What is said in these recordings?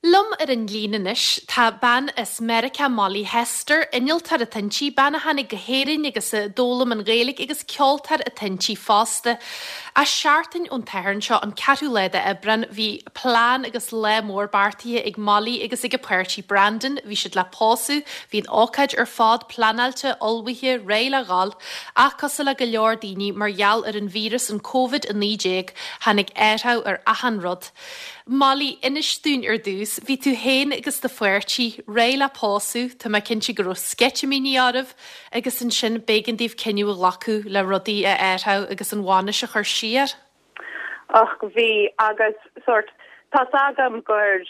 Liom ar an líne anois tá bean as Meiriceá, Molly Hester, innealtóir atá inti, bean a tháinig go hÉirinn agus a d'fhoghlaim an Ghaeilge agus ceoltóir atá inti fosta. Ach seachtain ón tSatharn seo, an ceathrú lá d'Aibreán, bhí plean agus lá mór beartaithe ag Molly agus ag a páirtí Brandon, bhí siad le pósadh, bhí an ócáid ar fad pleanáilte, ullmhaithe, réidh le dhul, ach cosúil le go leor daoine, mar gheall ar an víreas, an Covid-19, tháinig athrú ar achan rud. Molly, inis dúinn ar dtús, bhí tú féin agus do pháirtí réidh le pósadh, tá mé cinnte go raibh sceitimíní oraibh, agus ansin b'éigean daoibh cinneadh a ghlacadh le rudaí a athrú agus an bhainis a chur siar. Och, bhí, agus sórt, tá's agam gur,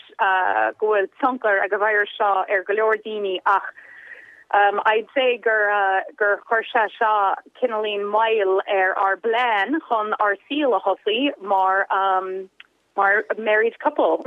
go bhfuil tionchar ag an virus seo ar go leor daoine ach I'd say gur, gur chuir sé seo cineáilín moill ar ár bplean chun ár saol a thosaí mar, mar married couple.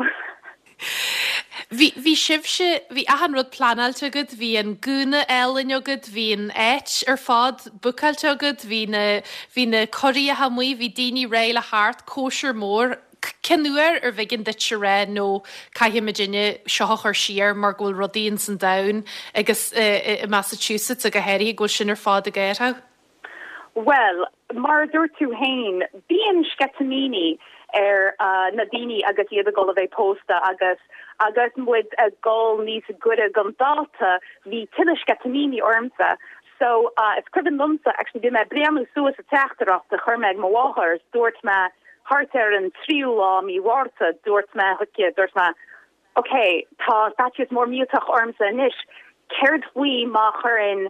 Bhí, bhí sibhse, bhí achan rud pleanáilte agat, bhí an gúna álainn agat, bhí an áit ar fad bookáilte agat, bhí na, bhí na curaíocha amuigh, bhí daoine réidh le theacht, cóisir mór. Cén uair arbh éigean duit a rá no caithfidh muidinne seo a chur siar mar go bhfuil rudaí ins an domhan agus i Massachusetts go háirithe go bhfuil sin ar fad ag athrú? Bhuel, mar a dúirt tú féin, bíonn sceitimíní ar na daoine agus iad ag dul a bheith pósta agus agus muid ag dul níos gaire don dáta, bhí tuilleadh sceitimíní ormsa. So, is cuimhin liomsa, actually, bhí mé ag breathnú suas an teachtaireacht a chuir mé ag mo mháthair is dúirt mé thart ar an tríú lá mí Mhárta, dúirt mé chuici, dúirt mé, ok, tá faitíos mór millteach ormsa anois, céard faoi má chuireann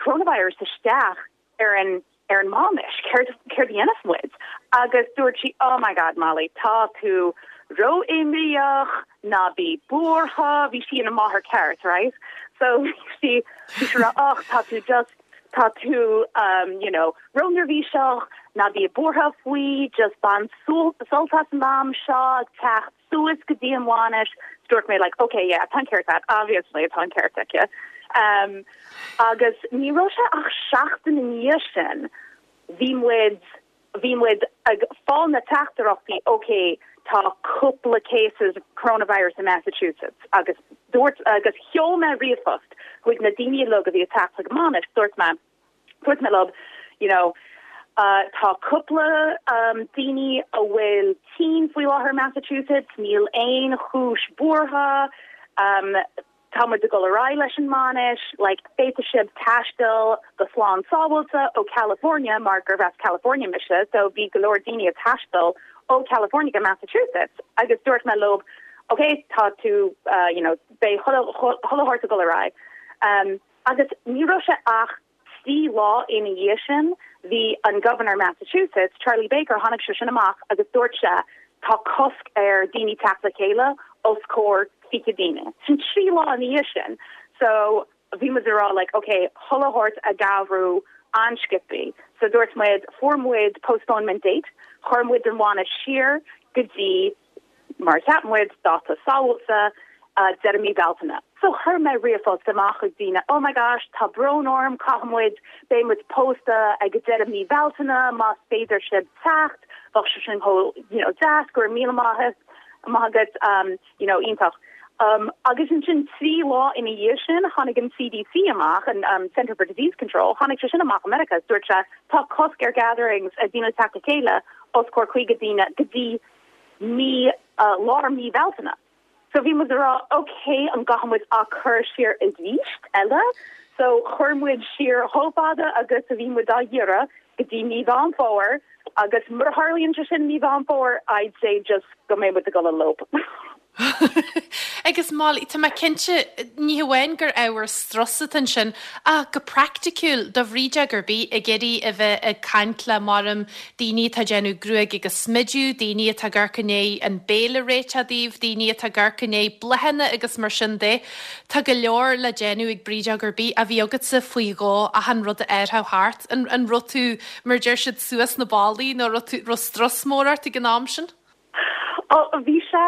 coronavirus isteach ar an ar an mbainis, céard céard a dhéanfas muid? Agus dúirt sí, oh my God Molly, tá tú ró-imníoch, ná bí buartha, bhí sí ina máthair ceart, right? So bhí sí bhí sí ag rá, och, tá tú just, tá tú um, you know, ró-neirbhíseach, ná bí buartha faoi, just bain sult as an am seo ag teacht suas go dtí an bhainis, dúirt mé like ok yeah tá an ceart agat, obviously tá an ceart aici. Um, agus ní raibh sé ach seachtain i ndiaidh sin bhí muid bhí muid ag fáil na teachtaireachtaí ok tá cúpla cases coronavirus in Massachusetts agus dúirt agus sheol mé ríomhphost chuig na daoine uilig a bhí ag teacht chuig an mbainis dúirt mé Dúirt mé leo, you know, tá cúpla daoine a bhfuil tinn faoi láthair i Massachusetts, níl aon chúis buartha, tá muid ag dul ar aghaidh leis an mbainis, like, féadfaidh sibh taisteal go slán sábháilte ó California mar gurb as California mise, so bhí go leor daoine ag taisteal ó California go Massachusetts agus dúirt mé leo, ok, tá tú, you know, beidh chuile shórt ag dul ar aghaidh. Agus ní raibh sé ach 3 lá ina dhiaidh sin, bhí an Governor Massachusetts, Charlie Baker, tháinig sé sin amach agus dúirt sé tá cosc ar daoine teacht le chéile os comhair 20 daoine. Sin 3 lá ina dhiaidh sin. So bhí muid ag rá like ok, chuile shórt ag athrú an-sciobthaí. So dúirt muid, fuair muid postponement date, chuir muid an bhainis siar go dtí Mar a cheap muid, dáta sábháilte, deireadh mí Bealtaine. So chuir mé ríomhphost amach chuig daoine, oh my gosh, tá brón orm, caithfidh muid, beidh muid pósta ag deireadh mí Bealtaine, más féidir sibh teacht, bheadh sé sin chomh, you know, deas, go raibh míle maith, maith agat, um, you know, iontach. Um, agus ansin 3 lá ina dhiaidh sin, tháinig an CDC amach, an um, Center for Disease Control, tháinig sé sin amach i Meiriceá, dúirt sé, tá cosc ar gatherings, ag daoine teacht le chéile, os comhair 50 daoine go dtí mí, lár mí Bhealtaine. So bhí muid ag rá ok an gcaithfidh muid á cur siar arís eile? So chuir muid siar chomh fada agus a bhí muid á iarraidh go dtí mí Mheán Fómhair agus mura tharlaíonn sé sin mí Mheán Fómhair I'd say just go mbeidh muid ag dul elope. Agus Molly, tá mé cinnte, ní hamháin gur ábhar strus atá ansin, ach go praiticiúil, do bhrídeog ar bith ag iarraidh a bheith ag caint le maram daoine atá ag déanamh gruaig agus smidiú, daoine atá ag amharc i ndiaidh an béile a réiteach daoibh, daoine atá ag amharc i ndiaidh bláthanna agus mar sin de. Tá go leor le déanamh ag brídeog ar bith a bhí agatsa faoi dhó achan rud a athrú thart. An an raibh tú, mar a deir siad, suas na ballaí nó raibh tú, raibh strus mór ort ag an am sin? Ó, bhí sé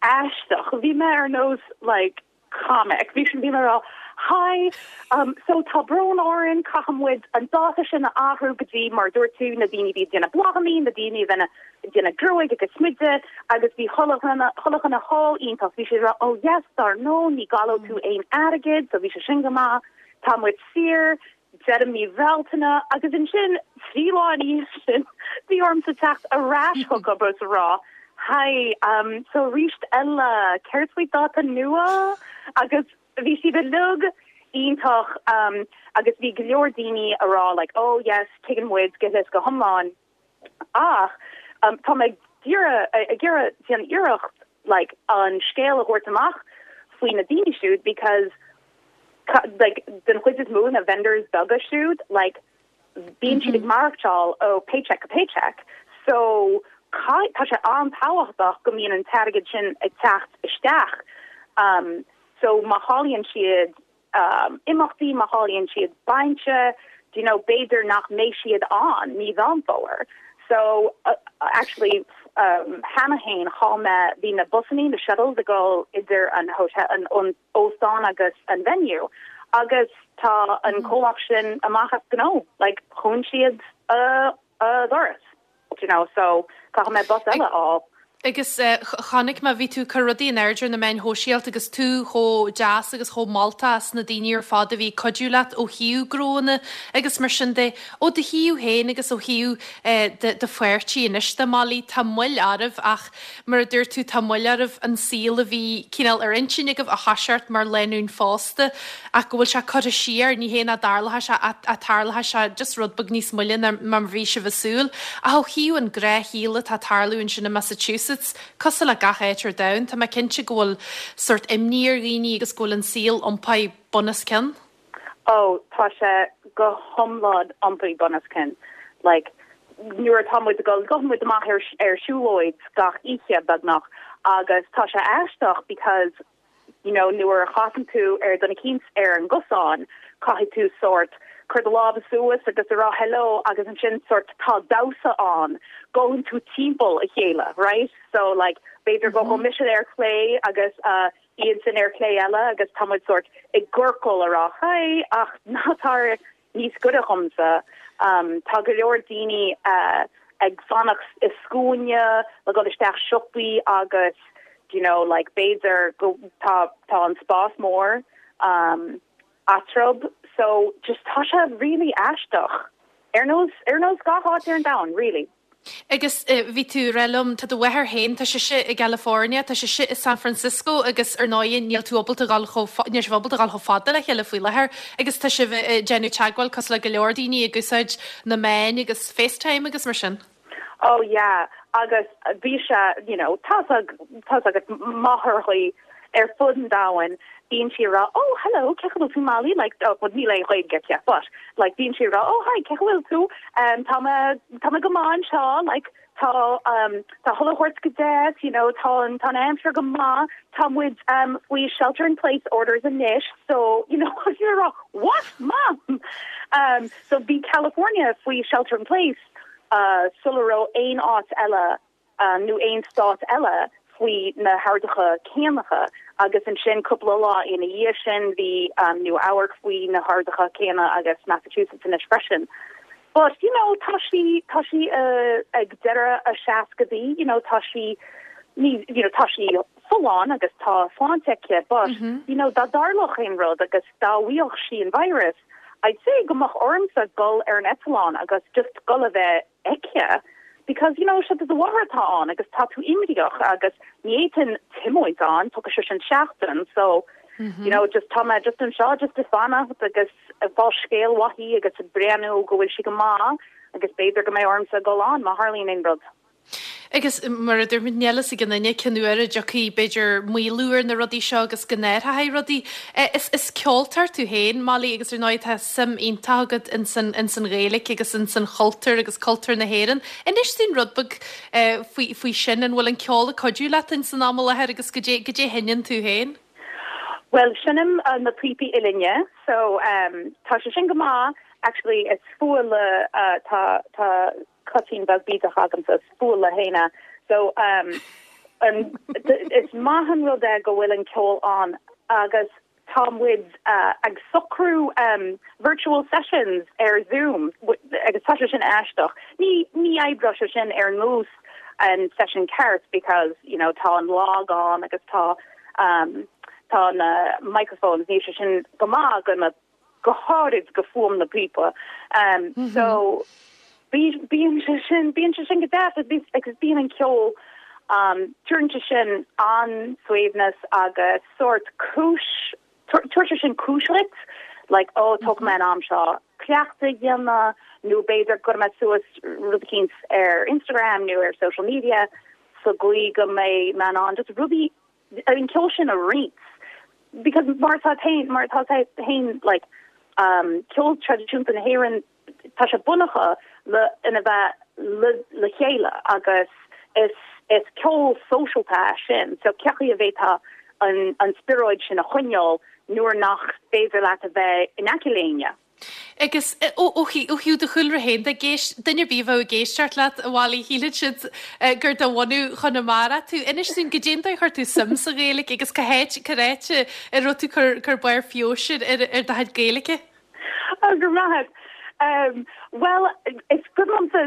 aisteach. Bhí mé ar nós like comic. Bhí bhí mé ag rá. Hi, um, so tá brón orainn, caithfidh muid an dáta sin a athrú go dtí, mar a dúirt tú, na daoine a bhí ag déanamh bláthannaí, na daoine a bhí ag déanamh gruaig agus smideadh agus bhí chuile dhuine, chuile dhuine thall iontach, bhí siad ag rá, oh yes, dar ndóigh, ní gcaillfidh tú aon airgead, so bhí sé sin go maith, tá muid saor, deireadh mí Bhealtaine agus ansin trí lá ina dhiaidh sin bhí ormsa teacht ar ais chucu agus a rá Hi, um, so arís eile, céard faoi dáta nua? Agus bhí siad uilig iontach um, agus bhí go leor daoine a rá like, oh yes, tuigeann muid go huile is go hiomlán. Ach um, tá mé ag iarraidh ag iarraidh déanamh iarracht like, an scéal a thabhairt amach faoi na daoine siúd because like, den chuid is mó na vendors beaga siúd, like, bíonn siad ag maireachtáil ó paycheck go paycheck, so tá sé an-tábhachtach go mbíonn an t-airgead sin ag teacht isteach. Um, so má chailleann siad um, imeachtaí, má chailleann siad bainse, do you know, b'fhéidir nach mbeidh siad ann mí Mheán Fómhair. So, uh, actually, um, cheana féin, chaill mé, bhí na busannaí, na shuttles ag dul idir an hotel, an, an óstán agus an venue agus tá an comhlacht sin amach as gnó, like dhún siad a doras, do you know, so caithfidh mé bus eile a fháil. Agus chonaic mé, bhí tú ag cur rudaí in airde ar na meáin shóisialta agus tú chomh deas agus chomh moltach as na daoine ar fad a bhí ag cuidiú leat ó thaobh gnóanna agus mar sin de. Ó do thaobh féin agus ó thaobh do pháirtí anois de, Molly, tá moill oraibh ach Mar a dúirt tú, tá moill oraibh an saol a bhí cineál ar intinn agaibh a thoiseacht mar lánúin phósta ach go bhfuil sé curtha siar, ní hé nach dtarlóidh sé ach tarlóidh sé just rud beag níos moille ná mar a bhí sibh ag súil. Ach ó thaobh an gnáthshaol atá ag tarlú ansin i Massachusetts, cosúil le gach áit ar domhan, tá mé cinnte go bhfuil sórt imní ar dhaoine agus go bhfuil an saol iompaithe bun os cionn. Oh, tá sé go hiomlán iompaithe bun os cionn. Like, nuair atá muid ag dul, gabhann muid amach ar, ar siúlóid gach oíche, beagnach, agus tá sé aisteach because, you know, nuair a chasann tú ar duine eicínt ar an gcosán, caithfidh tú sórt cur do lámha suas agus a rá hello agus ansin sórt tá damhsa ann, gabhann tú timpeall a chéile, right? So, like, b'fhéidir go gabhfaidh mise ar chlé agus, uh, iadsan ar chlé eile agus tá muid sórt i gciorcal a rá hi ach ná tar níos gaire dhomsa. Tá go leor daoine ag fanacht i scuaine le dhul isteach siopaí agus do you know like b'fhéidir go tá tá an spás mór eatarthu so just tá sé really aisteach ar nós ar nós gach áit ar an domhan really. Agus bhí tú ag rá liom, tá do mháthair féin, tá sise i gCalifornia, tá sise i San Francisco agus ar ndóigh níl tú ábalta dhul chomh, níl sibh ábalta dhul chomh fada le chéile faoi láthair agus tá sibh ag déanamh teagmháil cosúil le go leor daoine ag úsáid na meáin agus FaceTime agus mar sin. Oh yeah agus bhí sé, you know, tá tá's agat máithreachaí ar fud an domhain, bíonn sí ag rá oh hello cén chaoi a bhfuil tú Molly like oh well níl aon Ghaeilge aici but like bíonn sí ag rá oh hi cén chaoi a bhfuil tú um tá mé tá mé go maith anseo like tá um tá chuile shórt go deas you know tá an tá an aimsir go maith tá muid um faoi shelter in place orders anois so you know you're rá what mom um so bhí California faoi shelter in place uh sula raibh aon áit eile nó aon stát eile faoi na horduithe céanna agus ansin cúpla lá ina dhiaidh sin bhí Nua Eabharc faoi na horduithe céanna agus Massachusetts anois freisin. But you know tá sí tá sí ag deireadh a seascadaí you know tá sí ní you know tá sí folláin agus tá sláinte aici but you know dá dtarlódh aon rud agus dá bhfaigheadh sí an virus I'd say go mbeadh ormsa dul ar an eitleán agus just dul a bheith aici because you know sé do mháthair atá ann agus tá tú imníoch agus ní fhéadfainn tiomáint ann, tógfaidh sé sin seachtain so you know just tá mé just anseo just ag fanacht agus ag fáil scéal uaithi agus ag breathnú go bhfuil sí go maith agus b'fhéidir go mbeidh ormsa dul ann má tharlaíonn aon rud. Agus mar a dúirt muid, níl fhios ag aon duine cén uair a dtiocfaidh, b'fhéidir, maolú ar na rudaí seo agus go n-athróidh rudaí. Is is ceoltóir tú féin, Molly, agus ar ndóigh tá suim iontach agat ins an ins an Ghaeilge agus ins an chultúr agus cultúr na hÉireann. Inis dúinn rud beag faoi faoi sin, an bhfuil an ceol ag cuidiú leat ins an am i láthair agus goidé goidé a sheinneann tú féin? Bhuel, seinnim na píopaí uillinne, so tá sé sin go maith. Actually, is fuath le tá tá coitín beag bídeach agamsa, is fuath le héinne. So um, an, is maith an rud é go bhfuil an ceol ann agus tá muid ag socrú virtual sessions ar Zoom agus tá sé sin aisteach. Ní ní oibreoidh sé sin ar nós an session ceart because you know tá an lag ann agus tá tá na microphones níl sé sin go maith go na go háirid go fuaim na píopa. So bíonn sé sin, bíonn sé sin go deas agus bíonn an ceol, tabharann sé sin an-suaimhneas agus sórt cúis, tabharann sé sin cúis dhuit, like oh tógfaidh mé an am seo cleachtadh a dhéanamh nó b'fhéidir cuirfidh mé suas rud eicínt ar Instagram nó ar social media sa gcaoi go mbeidh mé in ann just rudaí an ceol sin a roinnt because mar atá féin mar atá féin like um ceol traidisiúnta na hÉireann tá sé bunaithe le ina bheith le le chéile agus is is ceol sóisialta é sin so cén chaoi a bhféadfá an an spiorad sin a choinneáil nuair nach féidir leat a bheith in aice le éinne. Agus ó thaobh do chúlra féin de, duine ar bith a bheadh ag éisteacht leat, a Mholly, shílfeadh siad gur de bhunadh Chonamara tú. Inis dúinn, goidé an dóigh a chuir tú suim sa Ghaeilge agus cá háit, cá háit a raibh tú ag cur barr feabhais ar do chuid Gaeilge? Go raibh maith agat. Bhuel, is cuimhin liomsa,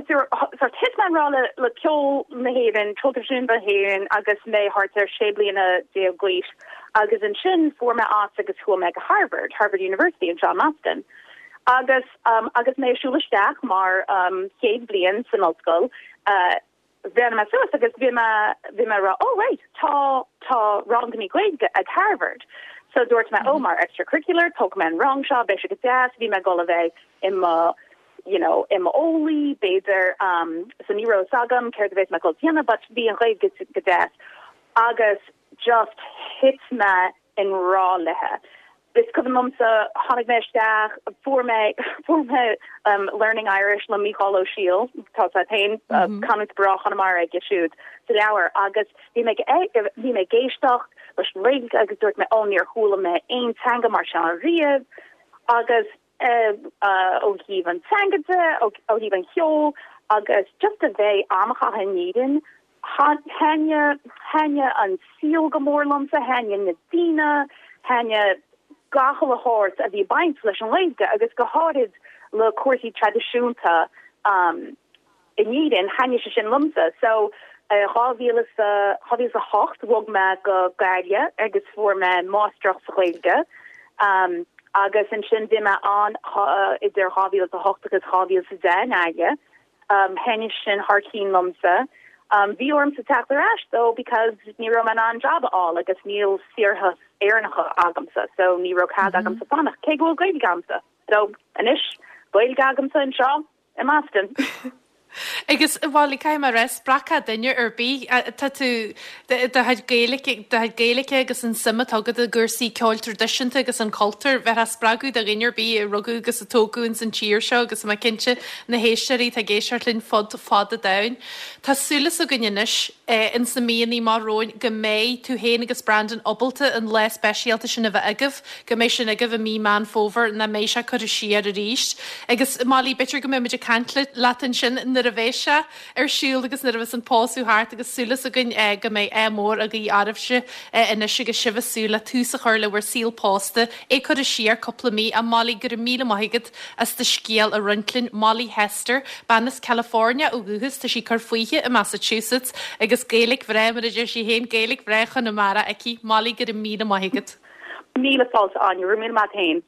sort thit mé i ngrá le ceol na hÉireann, ceol traidisiúnta na hÉireann agus mé thart ar 16 bliana d'aois. Agus ansin fuair mé áit agus chuaigh mé go Harvard, Harvard University anseo i mBoston. Agus agus mé ag siúl isteach mar chéad bhliain san ollscoil, bhreathnaigh mé suas agus bhí mé, bhí mé ag rá, oh right, tá, tá rangannaí Gaeilge ag Harvard. So dúirt mé, oh mar extracurricular, tógfaidh mé an rang seo, beidh sé go deas, bhí mé ag dul a bheith i mo, you know, i m'eolaí, b'fhéidir, so ní raibh fhios agam céard a bheas mé ag dul a dhéanamh but bhí an Ghaeilge go deas. Agus just thit mé i ngrá léithe. Is cuimhin liomsa, tháinig mé isteach, fuair mé, fuair mé Learning Irish le Mícheál Ó Siadhail, tá sé féin, canúint breá Chonamara aige siúd sa leabhar, agus bhí mé ag, bhí mé ag éisteacht leis an Ghaeilge agus dúirt mé, oh níor chuala mé aon teanga mar seo riamh agus ó thaobh an teanga de, ó thaobh an cheoil agus just a bheith am a chaitheamh in Éirinn. Thaitnigh, thaitnigh an saol go mór liomsa, thaitnigh na daoine, thaitnigh gach uile shórt a bhí ag baint leis an nGaeilge agus go háirid le cúrsaí traidisiúnta. In Éirinn, thaitnigh sé sin liomsa. So, 2008 bhog mé go Gaillimh agus fuair mé máistreacht sa Ghaeilge. Agus ansin bhí mé ann idir 2008 agus 2010 i nGaillimh. Thaitnigh sin thar cinn liomsa. Bhí ormsa teacht ar ais though because ní raibh mé in ann job a fháil agus níl saorthas Éireannacha agamsa so ní raibh cead agamsa fanacht cé go bhfuil Gaeilge agamsa. So, anois, Gaeilge agamsa anseo. I mBoston. Agus, a Mholly, caithfidh mé a rá, spreagfá duine ar bith, tá tú, do chuid Gaeilge, do chuid Gaeilge agus an suim atá agat i gcúrsaí ceoil traidisiúnta agus an cultúr, bheifeá spreagadh do dhuine ar bith a rugadh agus a tógadh ins an tír seo agus tá mé cinnte na héisteoirí atá ag éisteacht linn fud fad an domhain. Tá súil againn anois ins na míonna amach romhainn go mbeidh tú féin agus Brandon ábalta an lá speisialta sin a bheith agaibh, go mbeidh sin agaibh i mí Meán Fómhair, nach mbeidh sé curtha siar arís. Agus Molly, b'fhéidir go mbeidh muid ag caint leat ansin nuair a bheas sé ar siúl agus nuair a bheas an pósadh thart agus súil againn go mbeidh ádh mór á ghuí oraibhse anois agus sibh ag súil le tús a chur le bhur saol pósta, é curtha siar cúpla mí. A Molly, go raibh míle maith agat as do scéal a roinnt linn. Molly Hester, bean as California ó dhúchas, tá sí ag cur fúithi i Massachusetts agus Gaeilge bhreá, mar a deir sí féin, Gaeilge bhreá Chonamara aici. Molly, go raibh míle maith agat. Míle fáilte, Áine. Go raibh míle maith agat féin.